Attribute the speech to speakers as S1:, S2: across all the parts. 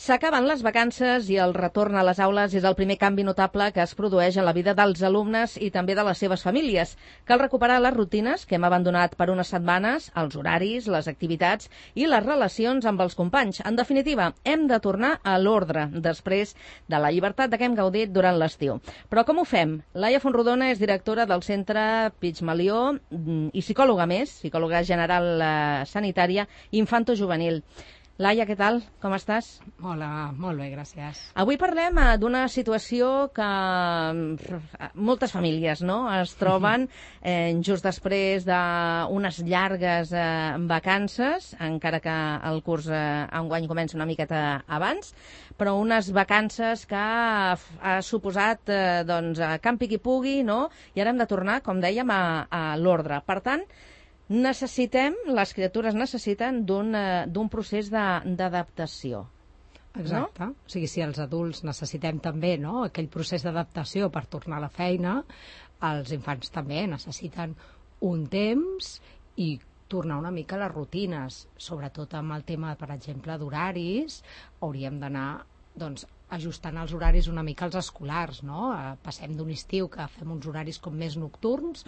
S1: S'acaben les vacances i el retorn a les aules és el primer canvi notable que es produeix en la vida dels alumnes i també de les seves famílies. Cal recuperar les rutines que hem abandonat per unes setmanes, els horaris, les activitats i les relacions amb els companys. En definitiva, hem de tornar a l'ordre després de la llibertat de què hem gaudit durant l'estiu. Però com ho fem? Laia Fontrodona és directora del Centre Pigmalió i psicòloga més, psicòloga general sanitària infantojuvenil. Laia, què tal? Com estàs?
S2: Hola, molt bé, gràcies.
S1: Avui parlem d'una situació que moltes famílies es troben just després d'unes llargues vacances, encara que el curs enguany comença una miqueta abans, però unes vacances que ha suposat camp qui pugui, i ara hem de tornar, com dèiem, a l'ordre. Per tant, les criatures necessiten d'un procés d'adaptació.
S2: Exacte.
S1: No?
S2: O sigui, si els adults necessitem també aquell procés d'adaptació per tornar a la feina, els infants també necessiten un temps i tornar una mica a les rutines. Sobretot amb el tema, per exemple, d'horaris, hauríem d'anar ajustant els horaris una mica als escolars, no? Passem d'un estiu que fem uns horaris com més nocturns,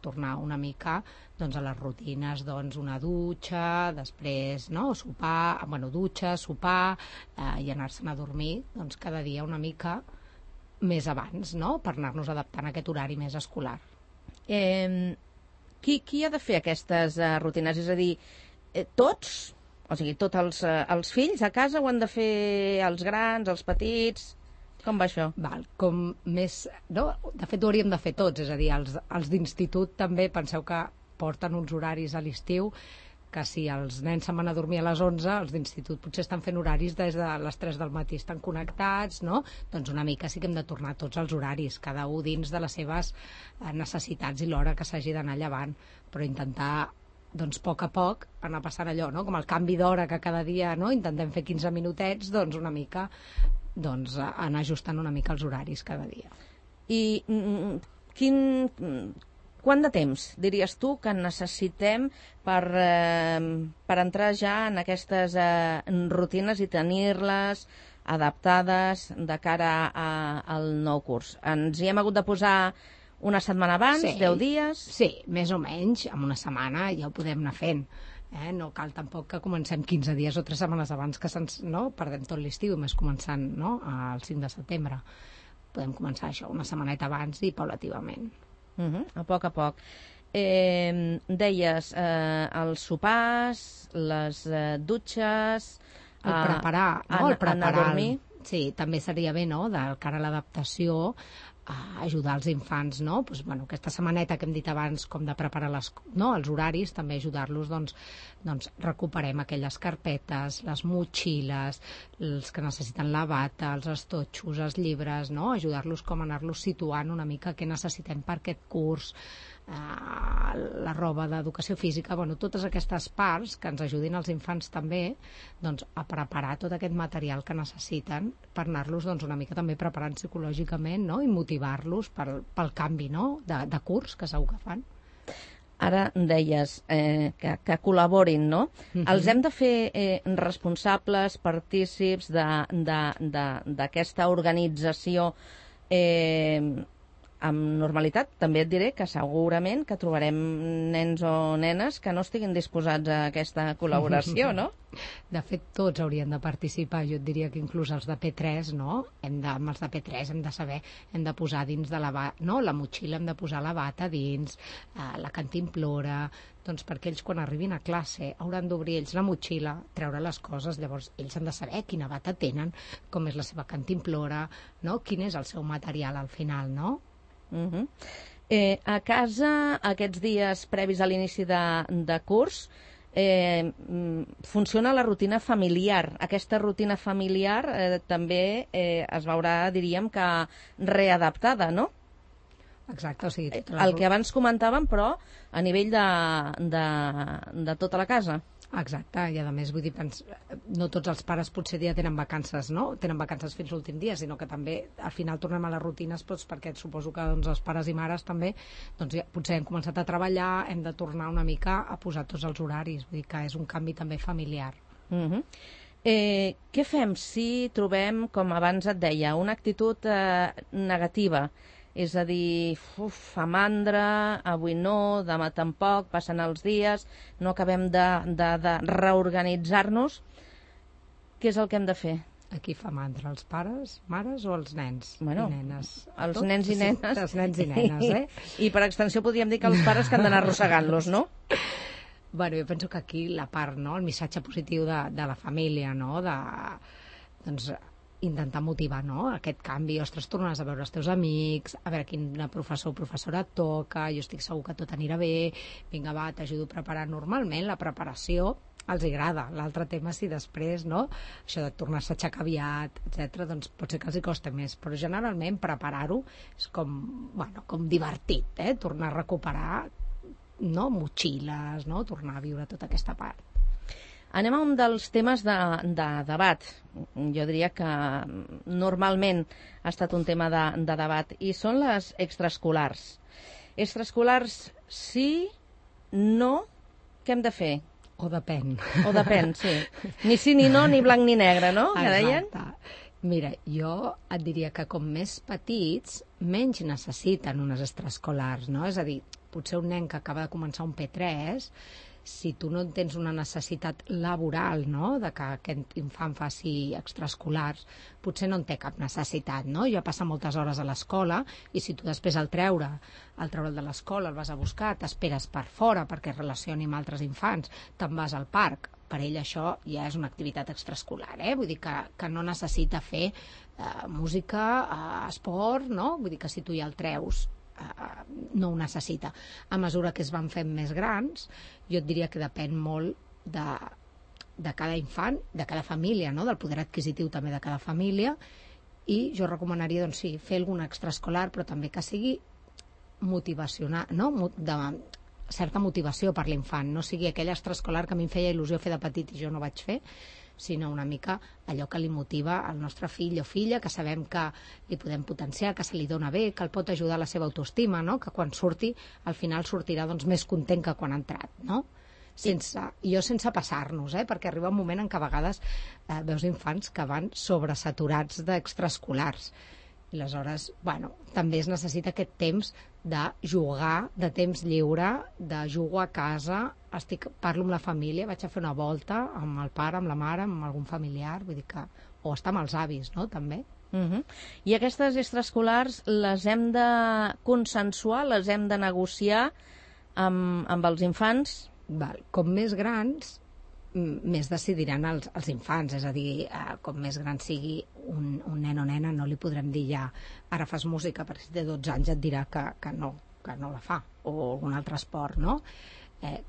S2: tornar una mica a les rutines, una dutxa, després sopar, dutxa, sopar i anar-se'n a dormir cada dia una mica més abans, per anar-nos adaptant a aquest horari més escolar.
S1: Qui ha de fer aquestes rutines? És a dir, tots? O sigui, tots els fills a casa ho han de fer els grans, els petits? Com va això?
S2: De fet, ho hauríem de fer tots, és a dir, els d'institut també, penseu que porten uns horaris a l'estiu, que si els nens se'n van a dormir a les 11, els d'institut potser estan fent horaris des de les 3 del matí, estan connectats, no? Doncs una mica sí que hem de tornar tots els horaris, cada un dins de les seves necessitats i l'hora que s'hagi d'anar llevant, però intentar a poc a poc anar passant allò, com el canvi d'hora que cada dia intentem fer 15 minutets, una mica anar ajustant una mica els horaris cada dia.
S1: I quant de temps diries tu que necessitem per entrar ja en aquestes rutines i tenir-les adaptades de cara al nou curs? Ens hi hem hagut de posar una setmana abans, 10 dies?
S2: Sí, més o menys, en una setmana ja ho podem anar fent. No cal tampoc que comencem 15 dies o 3 setmanes abans que perdem tot l'estiu, més començant el 5 de setembre. Podem començar això una setmaneta abans i paulativament.
S1: A poc a poc. Deies els sopars, les dutxes...
S2: El preparar,
S1: anar a dormir.
S2: Sí, també seria bé, de cara a l'adaptació, ajudar els infants, aquesta setmaneta que hem dit abans com de preparar els horaris, també ajudar-los, recuperem aquelles carpetes, les motxilles, els que necessiten la bata, els estotxos, els llibres, ajudar-los com a anar-los situant una mica què necessitem per aquest curs, la roba d'educació física, totes aquestes parts que ens ajudin als infants també a preparar tot aquest material que necessiten per anar-los una mica també preparant psicològicament i motivar-los pel canvi de curs que segur que fan.
S1: Ara deies que col·laborin, no? Els hem de fer responsables, partícips d'aquesta organització amb normalitat. També et diré que segurament que trobarem nens o nenes que no estiguin disposats a aquesta col·laboració, no?
S2: De fet, tots haurien de participar. Jo et diria que inclús els de P3, amb els de P3 hem de saber, hem de posar dins de la motxilla, hem de posar la bata dins, la cantimplora, perquè ells quan arribin a classe hauran d'obrir ells la motxilla, treure les coses, llavors ells han de saber quina bata tenen, com és la seva cantimplora, quin és el seu material al final, no?
S1: A casa, aquests dies previs a l'inici de curs, funciona la rutina familiar. Aquesta rutina familiar també es veurà, diríem, que readaptada, no?
S2: Exacte, o sigui...
S1: El que abans comentàvem, però, a nivell de tota la casa.
S2: Exacte, i a més, vull dir, no tots els pares potser ja tenen vacances, tenen vacances fins l'últim dia, sinó que també al final tornem a les rutines, perquè suposo que els pares i mares també ja, potser hem començat a treballar, hem de tornar una mica a posar tots els horaris, vull dir que és un canvi també familiar.
S1: Què fem si trobem, com abans et deia, una actitud negativa? És a dir, fa mandra, avui no, demà tampoc, passen els dies, no acabem de reorganitzar-nos. Què és el que hem de fer?
S2: Aquí fa mandra, els pares, mares o els nens i nenes?
S1: Els nens i nenes.
S2: Sí, els nens i nenes,
S1: I per extensió podríem dir que els pares que han d'anar arrossegant-los, no?
S2: Bueno, jo penso que aquí la part, no?, el missatge positiu de la família, no?, doncs, intentar motivar, no?, aquest canvi. Ostres, tornaràs a veure els teus amics, a veure quin professor o professora et toca, jo estic segur que tot anirà bé, vinga, va, t'ajudo a preparar. Normalment la preparació els agrada. L'altre tema, si després, no?, això de tornar-se a aixecar aviat, etc., doncs pot ser que els hi costa més, però generalment preparar-ho és com, bueno, com divertit, tornar a recuperar, no?, motxilles, no?, tornar a viure tota aquesta part.
S1: Anem a un dels temes de debat. Jo diria que normalment ha estat un tema de debat, i són les extraescolars. Extraescolars sí, no, què hem de fer?
S2: O depèn.
S1: O depèn, sí. Ni sí ni no, ni blanc ni negre, no? Que deien?
S2: Exacte. Mira, jo et diria que com més petits, menys necessiten unes extraescolars, no? És a dir, potser un nen que acaba de començar un P3, si tu no tens una necessitat laboral, no?, de que aquest infant faci extraescolars, potser no en té cap necessitat, no? Ja passa moltes hores a l'escola, i si tu després al treure'l de l'escola, el vas a buscar, t'esperes per fora perquè es relacioni amb altres infants, te'n vas al parc, per ell això ja és una activitat extraescolar, vull dir que no necessita fer música, esport, no? Vull dir que si tu ja el treus, no ho necessita. A mesura que es van fent més grans, jo et diria que depèn molt de cada infant, de cada família, no?, del poder adquisitiu també de cada família, i jo recomanaria, doncs sí, fer alguna extraescolar, però també que sigui motivacional, no?, de certa motivació per l'infant, no sigui aquella extraescolar que a mi em feia il·lusió fer de petit i jo no vaig fer, sinó una mica allò que li motiva al nostre fill o filla, que sabem que li podem potenciar, que se li dona bé, que el pot ajudar a la seva autoestima, no?, que quan surti, al final sortirà doncs més content que quan ha entrat, no? Sense passar-nos, perquè arriba un moment en què a vegades veus infants que van sobresaturats d'extraescolars. I aleshores, bueno, també es necessita aquest temps de jugar, de temps lliure, de jugar a casa, parlo amb la família, vaig a fer una volta amb el pare, amb la mare, amb algun familiar, vull dir que, o estar amb els avis, no?, també.
S1: I aquestes extraescolars les hem de consensuar, les hem de negociar amb els infants?
S2: Com més grans, més decidiran els infants, és a dir, com més gran sigui un nen o nena, no li podrem dir ja ara fas música, perquè si té 12 anys et dirà que no la fa, o algun altre esport, no?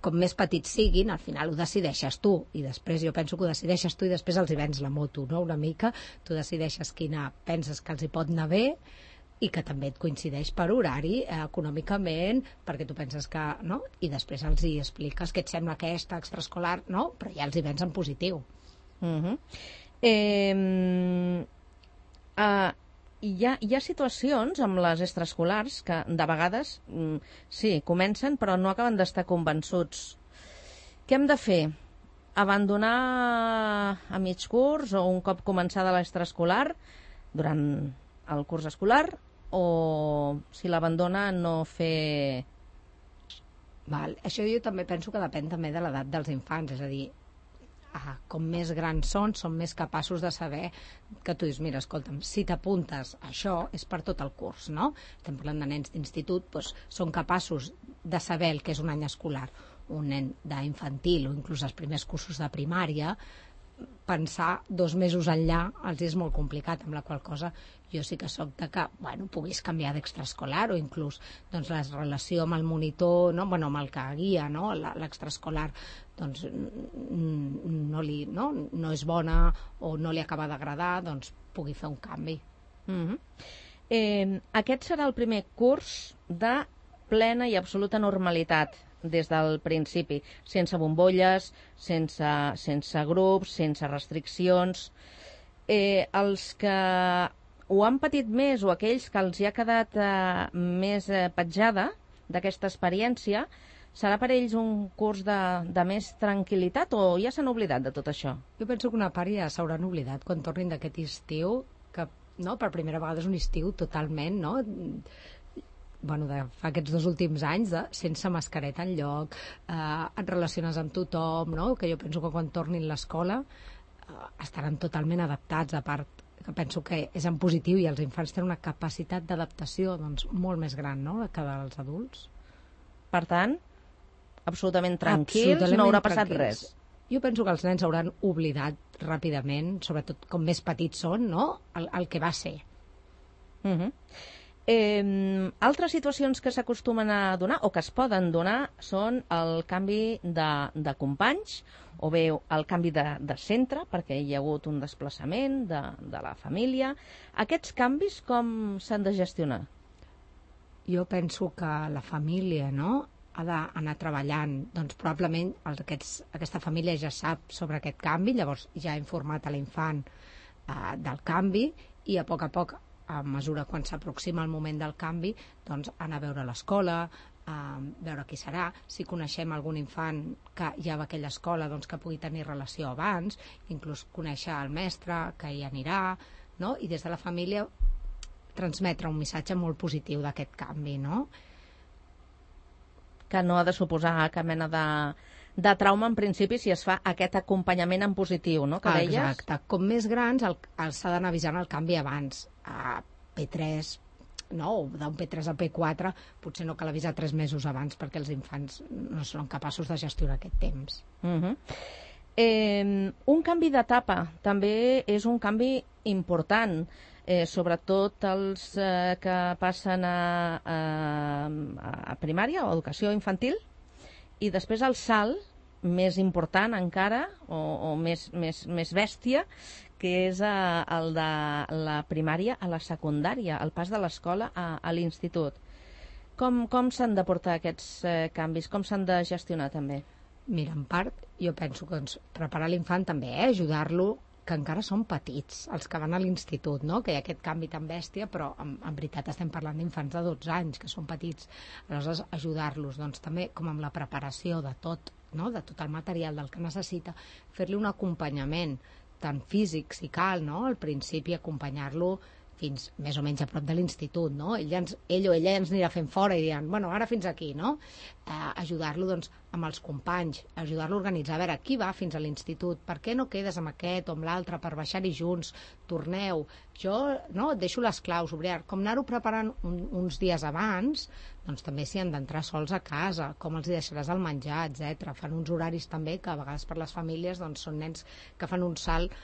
S2: Com més petits siguin, al final ho decideixes tu, i després jo penso que ho decideixes tu i després els hi vens la moto, no?, una mica, tu decideixes quina penses que els hi pot anar bé, i que també et coincideix per horari, econòmicament, perquè tu penses que, no?, i després els hi expliques què et sembla aquesta extraescolar, no?, però ja els hi vens en positiu.
S1: Hi ha situacions amb les extraescolars que de vegades sí, comencen però no acaben d'estar convençuts. Què hem de fer? Abandonar a mig curs o un cop començada l'extraescolar durant el curs escolar, o si l'abandona no fer...
S2: Això jo també penso que depèn també de l'edat dels infants, és a dir, com més grans són més capaços de saber que tu dius, mira, escolta'm, si t'apuntes a això és per tot el curs, no? Estem parlant de nens d'institut, doncs són capaços de saber el que és un any escolar. Un nen d'infantil o inclús els primers cursos de primària, pensar 2 mesos enllà els és molt complicat, amb la qual cosa jo sí que soc de que, puguis canviar d'extraescolar o inclús doncs, la relació amb el monitor, no? Amb el que guia, no? L'extraescolar doncs, no és bona o no li acaba d'agradar, doncs pugui fer un canvi.
S1: Aquest serà el primer curs de plena i absoluta normalitat des del principi, sense bombolles, sense grups, sense restriccions. Els que ho han patit més o aquells que els hi ha quedat més petjada d'aquesta experiència serà per ells un curs de més tranquil·litat o ja s'han oblidat de tot això?
S2: Jo penso que una part ja s'hauran oblidat quan tornin d'aquest estiu, que no, per primera vegada és un estiu totalment, no? Bueno, fa aquests 2 últims anys sense mascareta enlloc, et relaciones amb tothom, no? Que jo penso que quan tornin a l'escola estaran totalment adaptats, a part que penso que és en positiu i els infants tenen una capacitat d'adaptació doncs, molt més gran, no?, que dels adults.
S1: Per tant, absolutament tranquils, no haurà passat res.
S2: Jo penso que els nens hauran oblidat ràpidament, sobretot com més petits són, no?, el que va ser.
S1: Altres situacions que s'acostumen a donar o que es poden donar són el canvi de companys o bé el canvi de centre perquè hi ha hagut un desplaçament de la família. Aquests canvis com s'han de gestionar?
S2: Jo penso que la família, no?, ha d'anar treballant, doncs probablement aquesta família ja sap sobre aquest canvi, llavors ja ha informat a l'infant del canvi i a poc, a mesura quan s'aproxima el moment del canvi, doncs anar a veure l'escola, veure qui serà, si coneixem algun infant que ja va a aquella escola doncs que pugui tenir relació abans, inclús conèixer el mestre que hi anirà, no? I des de la família transmetre un missatge molt positiu d'aquest canvi, no?
S1: Que no ha de suposar cap mena de trauma en principi si es fa aquest acompanyament en positiu, no?, que deies?
S2: Exacte. Com més grans s'ha d'anar avisant el canvi abans. A P3, no, d'un P3 al P4 potser no cal avisar 3 mesos abans perquè els infants no són capaços de gestionar aquest temps.
S1: Un canvi d'etapa també és un canvi important, sobretot els que passen a primària o educació infantil, i després el salt més important encara o més bèstia, que és el de la primària a la secundària, el pas de l'escola a l'institut. Com s'han de portar aquests canvis? Com s'han de gestionar també?
S2: Mira, en part, jo penso que preparar l'infant també, ajudar-lo, que encara són petits, els que van a l'institut, no?, que hi ha aquest canvi tan bèstia, però en veritat estem parlant d'infants de 12 anys, que són petits. Aleshores, ajudar-los, doncs també com amb la preparació de tot, no?, de tot el material del que necessita, fer-li un acompanyament, tant físic, si cal, no?, al principi acompanyar-lo fins més o menys a prop de l'institut, no? Ell o ella ens anirà fent fora i diran, bueno, ara fins aquí, no? Ajudar-lo, doncs, amb els companys, ajudar-lo a organitzar, a veure, qui va fins a l'institut, per què no quedes amb aquest o amb l'altre per baixar-hi junts, torneu, jo, no, et deixo les claus, com anar-ho preparant uns dies abans, doncs també s'hi han d'entrar sols a casa, com els hi deixaràs el menjar, etc. Fan uns horaris també que a vegades per les famílies doncs, són nens que fan un salt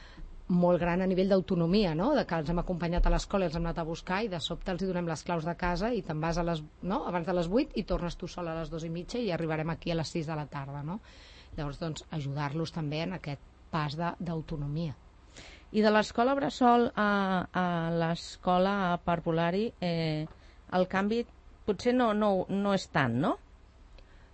S2: molt gran a nivell d'autonomia, no?, de que els hem acompanyat a l'escola i els hem anat a buscar i de sobte els hi donem les claus de casa i te'n vas abans de les 8 i tornes tu sola a les 2:30 i arribarem aquí a les 6 de la tarda, no? Llavors, doncs, ajudar-los també en aquest pas d'autonomia.
S1: I de l'escola bressol a l'escola parvulari, el canvi potser no és tant, no?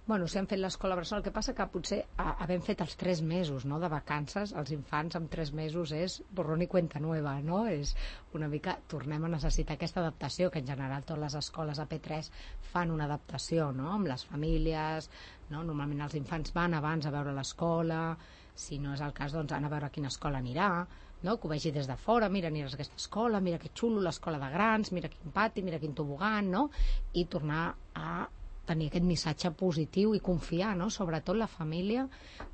S2: Bueno, si han fet l'escola bressol, el que passa que potser havent fet els 3 mesos, no?, de vacances, els infants amb 3 mesos és borrón i cuenta nueva, no? És una mica, tornem a necessitar aquesta adaptació, que en general totes les escoles a P3 fan una adaptació, no?, amb les famílies, no? Normalment els infants van abans a veure l'escola, si no és el cas, doncs anar a veure a quina escola anirà, no?, que ho vegi des de fora, mira, aniràs a aquesta escola, mira que xulo, l'escola de grans, mira quin pati, mira quin tobogan, no?, i tornar a tenir aquest missatge positiu i confiar, no?, sobretot la família.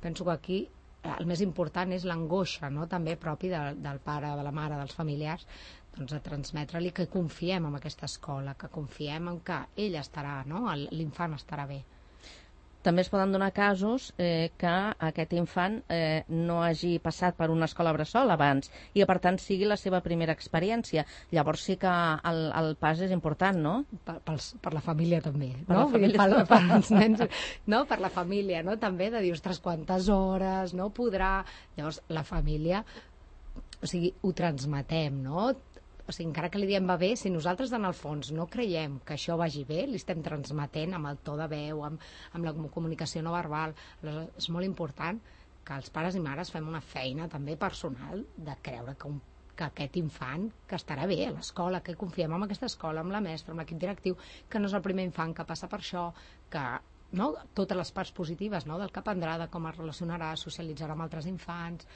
S2: Penso que aquí el més important és l'angoixa, no?, també propi del pare, de la mare, dels familiars, doncs a transmetre-li que confiem en aquesta escola, que confiem en que ell estarà, no?, l'infant estarà bé.
S1: També es poden donar casos que aquest infant no hagi passat per una escola bressol abans i, per tant, sigui la seva primera experiència. Llavors sí que el pas és important, no?
S2: Per la família també,
S1: per
S2: no?
S1: La família.
S2: Per els nens, no? Per la família, no? També de dir, ostres, quantes hores, no podrà... Llavors, la família, o sigui, ho transmetem, no? O sigui, encara que li diem va bé, si nosaltres en el fons no creiem que això vagi bé, li estem transmetent amb el to de veu, amb la comunicació no verbal. Aleshores, és molt important que els pares i mares fem una feina també personal de creure que aquest infant que estarà bé a l'escola, que confiem en aquesta escola, amb la mestra, amb l'equip directiu, que no és el primer infant que passa per això, que no? Totes les parts positives, no? Del que aprendrà, de com es relacionarà, socialitzarà amb altres infants,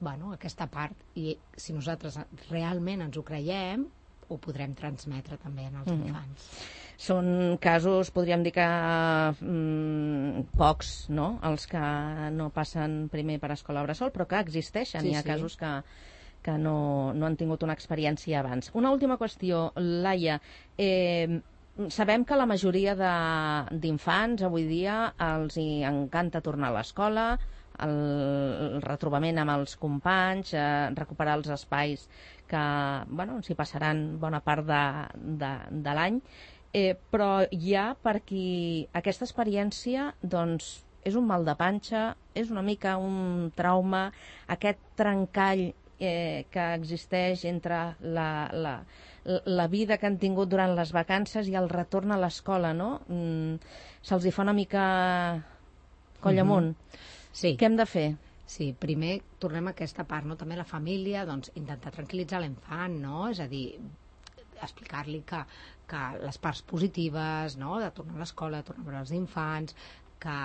S2: bueno, aquesta part. I si nosaltres realment ens ho creiem, ho podrem transmetre també als infants.
S1: Són casos, podríem dir que pocs, no?, els que no passen primer per escola bressol, però que existeixen. Hi ha casos que no han tingut una experiència abans. Una última qüestió, Laia. Sabem que la majoria d'infants avui dia els hi encanta tornar a l'escola, el retrobament amb els companys, recuperar els espais que s'hi passaran bona part de l'any, però hi ha per qui aquesta experiència doncs, és un mal de panxa, és una mica un trauma, aquest trencall que existeix entre la vida que han tingut durant les vacances i el retorn a l'escola, no? Se'ls hi fa una mica coll amunt.
S2: Sí.
S1: Què hem de fer?
S2: Sí, primer tornem a aquesta part, no? També la família, doncs, intentar tranquil·litzar l'infant, no? És a dir, explicar-li que les parts positives, no?, de tornar a l'escola, tornar a veure els infants, que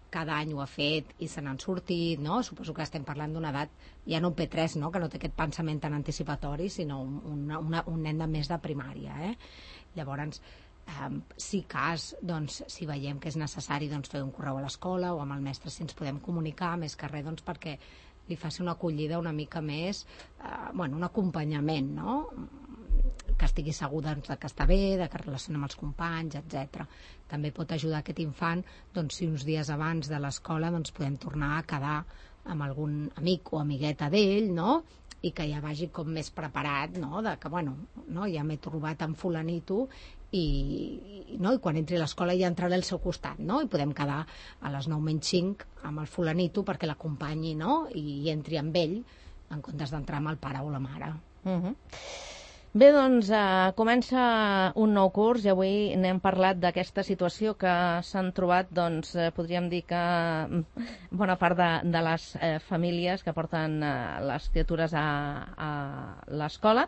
S2: cada any ho ha fet i se n'han sortit, no? Suposo que estem parlant d'una edat, ja no un P3, no?, que no té aquest pensament tan anticipatori, sinó un nen de més de primària, Llavors, si si veiem que és necessari fer un correu a l'escola o amb el mestre si ens podem comunicar, més que res perquè li faci una acollida una mica més, un acompanyament, no?, que estigui segur que està bé, que es relaciona amb els companys, etc. També pot ajudar aquest infant si uns dies abans de l'escola podem tornar a quedar amb algun amic o amigueta d'ell, no?, i que ja vagi com més preparat, no?, de que, ja m'he trobat amb fulanito i quan entri a l'escola ja entraré al seu costat, no?, i podem quedar a les 9:05 amb el fulanito perquè l'acompanyi, no?, i entri amb ell en comptes d'entrar amb el pare o la mare.
S1: Bé, doncs comença un nou curs i avui n'hem parlat d'aquesta situació que s'han trobat, podríem dir que bona part de les famílies que porten les criatures a l'escola,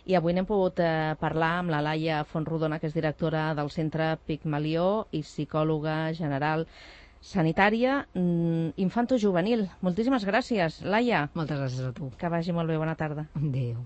S1: i avui n'hem pogut parlar amb la Laia Fontrodona, que és directora del Centre Pigmalió i psicòloga general sanitària infantojuvenil. Moltíssimes gràcies, Laia.
S2: Moltes gràcies a tu.
S1: Que vagi molt bé, bona tarda.
S2: Adéu.